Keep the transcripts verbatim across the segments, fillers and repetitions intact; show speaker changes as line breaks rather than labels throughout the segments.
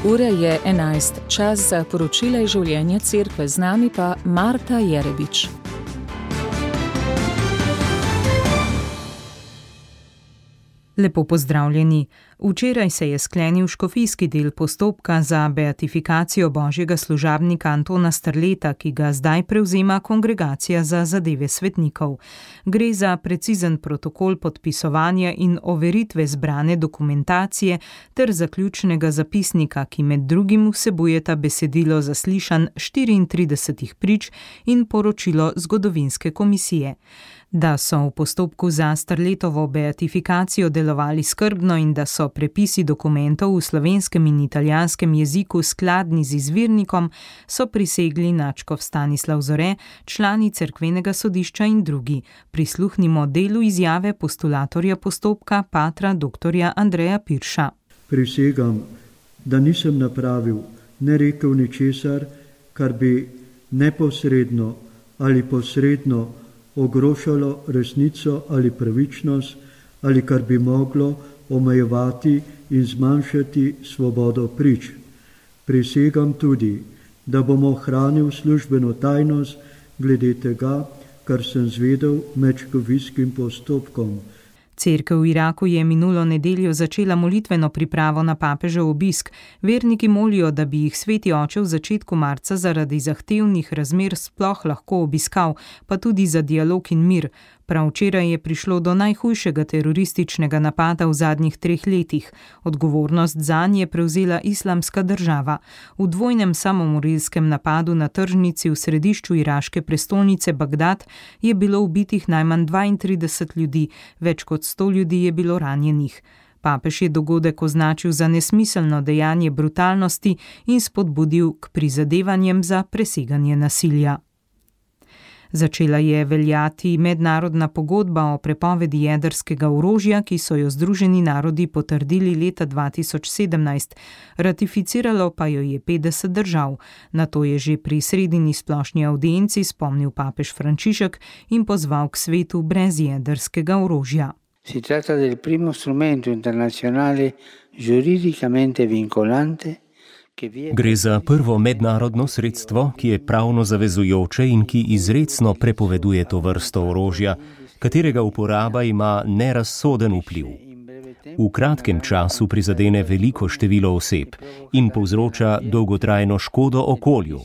Ura je enajst, čas za poročila iz življenja cerkve, z nami pa Marta Jerebič.
Lepo pozdravljeni. Včeraj se je sklenil škofijski del postopka za beatifikacijo božjega služabnika Antona Strleta, ki ga zdaj prevzema Kongregacija za zadeve svetnikov. Gre za precizen protokol podpisovanja in overitve zbrane dokumentacije ter zaključnega zapisnika, ki med drugim vsebujeta besedilo zaslišanj štiriintridesetih prič in poročilo zgodovinske komisije. Da so v postopku za Strletovo beatifikacijo delovali skrbno in da so prepisi dokumentov v slovenskem in italijanskem jeziku skladni z izvirnikom, so prisegli nadškof Stanislav Zore, člani cerkvenega sodišča in drugi. Prisluhnimo delu izjave postulatorja postopka, patra doktorja Andreja Pirša.
Prisegam, da nisem napravil, ne rekel ničesar, kar bi neposredno ali posredno ogrožalo resnico ali pravičnost, ali kar bi moglo omejevati in zmanjšati svobodo prič. Prisegam tudi, da bom ohranil službeno tajnost glede tega, kar sem zvedel med škofijskim postopkom.
Cerkev v Iraku je minulo nedeljo začela molitveno pripravo na papežev obisk. Verniki molijo, da bi jih sveti oče v začetku marca zaradi zahtevnih razmer sploh lahko obiskal, pa tudi za dialog in mir. Prav včeraj je prišlo do najhujšega terorističnega napada v zadnjih treh letih. Odgovornost zanj je prevzela Islamska država. V dvojnem samomorilskem napadu na tržnici v središču iraške prestolnice Bagdad je bilo ubitih najmanj dvaintrideset ljudi, več kot sto ljudi je bilo ranjenih. Papež je dogodek označil za nesmiselno dejanje brutalnosti in spodbudil k prizadevanjem za preseganje nasilja. Začela je veljati mednarodna pogodba o prepovedi jedrskega orožja, ki so jo Združeni narodi potrdili leta dva tisoč sedemnajst. Ratificiralo pa jo je petdeset držav. Na to je že pri sredini splošni audienci spomnil papež Frančišek in pozval k svetu brez jedrskega orožja.
Si tratta del primo strumento internazionale giuridicamente vincolante.
Gre za prvo mednarodno sredstvo, ki je pravno zavezujoče in ki izrecno prepoveduje to vrsto orožja, katerega uporaba ima nerazsoden vpliv. V kratkem času prizadene veliko število oseb in povzroča dolgotrajno škodo okolju.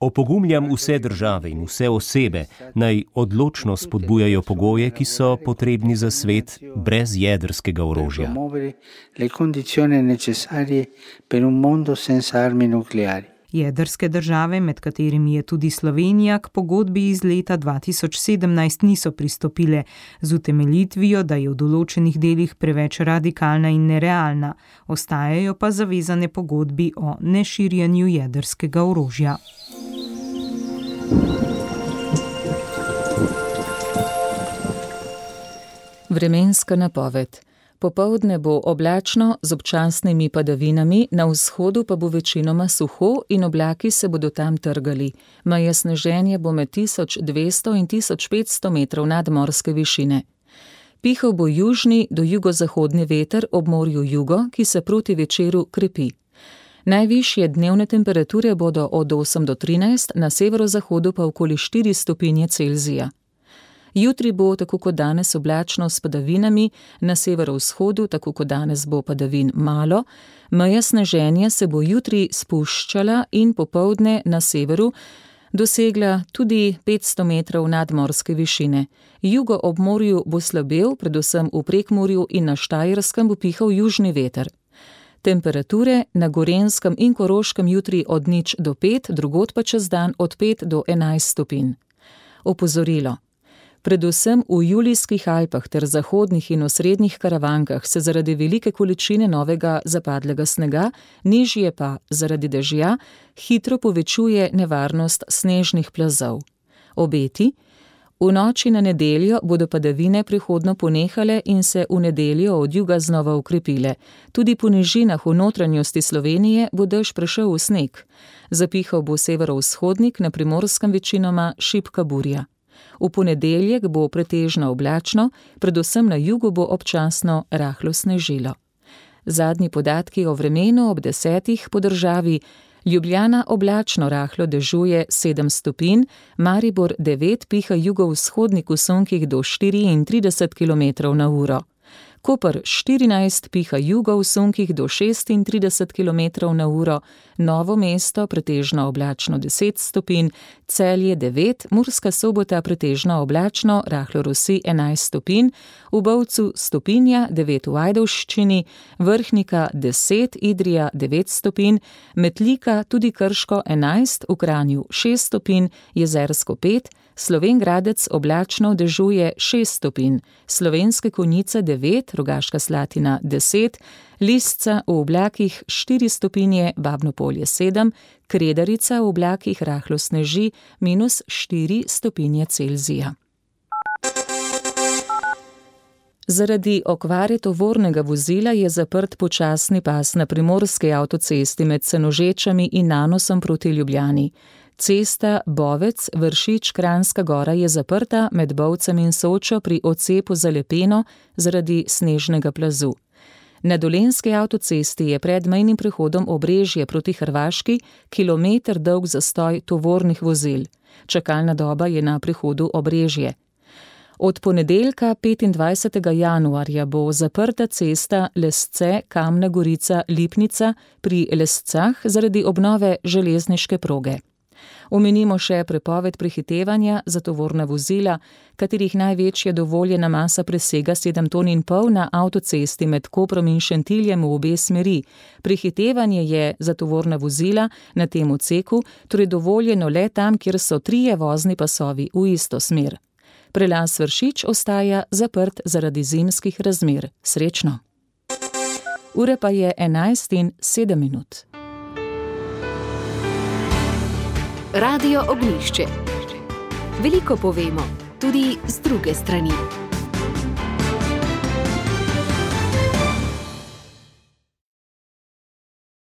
Opogumljam vse države in vse osebe, naj odločno spodbujajo pogoje, ki so potrebni za svet brez jedrskega orožja.
Jedrske države, med katerimi je tudi Slovenija, k pogodbi iz leta dva tisoč sedemnajst niso pristopile z utemeljitvijo, da je v določenih delih preveč radikalna in nerealna. Ostajajo pa zavezane pogodbi o neširjenju jedrskega orožja.
Vremenska napoved. Popoldne bo oblačno z občasnimi padavinami, na vzhodu pa bo večinoma suho in oblaki se bodo tam trgali. Meja sneženja bo med tisoč dvesto in tisoč petsto metrov nadmorske višine. Pihal bo južni do jugozahodni veter ob morju jugo, ki se proti večeru krepi. Najvišje dnevne temperature bodo od osem do trinajst, na severozahodu pa okoli štiri stopinje Celzija. Jutri bo tako kot danes oblačno s padavinami, na severovzhodu tako kot danes bo padavin malo, meja sneženja se bo jutri spuščala in popoldne na severu dosegla tudi petsto metrov nadmorske višine. Jugo ob morju bo slabel, predvsem v Prekmurju in na Štajerskem bo pihal južni veter. Temperature na Gorenjskem in Koroškem jutri od nič do pet, drugod pa čez dan od pet do enajst stopinj. Opozorilo. Predvsem v Julijskih Alpah ter zahodnih in osrednjih Karavankah se zaradi velike količine novega zapadlega snega, nižje pa zaradi dežja, hitro povečuje nevarnost snežnih plazov. Obeti. V noči na nedeljo bodo padavine prehodno ponehale in se v nedeljo od juga znova ukrepile. Tudi po nižinah v notranjosti Slovenije bo dež prešel v sneg. Zapihal bo severovzhodnik, na Primorskem večinoma šibka burja. V ponedeljek bo pretežno oblačno, predvsem na jugu bo občasno rahlo snežilo. Zadnji podatki o vremenu ob desetih po državi: Ljubljana oblačno rahlo dežuje sedem stopinj, Maribor devet, piha jugovzhodnik v sunkih do štiriintrideset kilometrov na uro. Koper štirinajst, piha jugo v sunkih do šestintrideset kilometrov na uro, Novo mesto pretežno oblačno deset stopinj, Celje devet, Murska Sobota pretežno oblačno, rahlo rosi enajst stopinj, v Bovcu stopinja, devet v Ajdovščini, Vrhnika deset, Idrija devet stopinj, Metlika, tudi Krško enajst, v Kranju šest stopinj, Jezersko pet, Slovenj Gradec oblačno dežuje šest stopinj, Slovenske Konjice devet, Rogaška Slatina deset, Lisca v oblakih štiri stopinje, Babno Polje sedem, Kredarica v oblakih rahlo sneži, minus štiri stopinje Celzija. Zaradi okvare tovornega vozila je zaprt počasni pas na primorski avtocesti med Senožečami in Nanosom proti Ljubljani. Cesta Bovec-Vršič-Kranjska Gora je zaprta med Bovcem in Sočo pri odcepu za Lepeno zaradi snežnega plazu. Na dolenjski avtocesti je pred mejnim prehodom Obrežje proti Hrvaški kilometer dolg zastoj tovornih vozil. Čakalna doba je na prehodu Obrežje. Od ponedeljka petindvajsetega januarja bo zaprta cesta Lesce-Kamna Gorica-Lipnica pri Lescah zaradi obnove železniške proge. Omenimo še prepoved prehitevanja za tovorna vozila, katerih največja dovoljena masa presega sedem ton in pol na avtocesti med Koprom in Šentiljem v obe smeri. Prehitevanje je za tovorna vozila na tem odseku torej dovoljeno le tam, kjer so trije vozni pasovi v isto smer. Prelaz Vršič ostaja zaprt zaradi zimskih razmer. Srečno! Ura pa je enajst in sedem minut.
Radio Ognjišče. Veliko povemo, tudi z druge strani.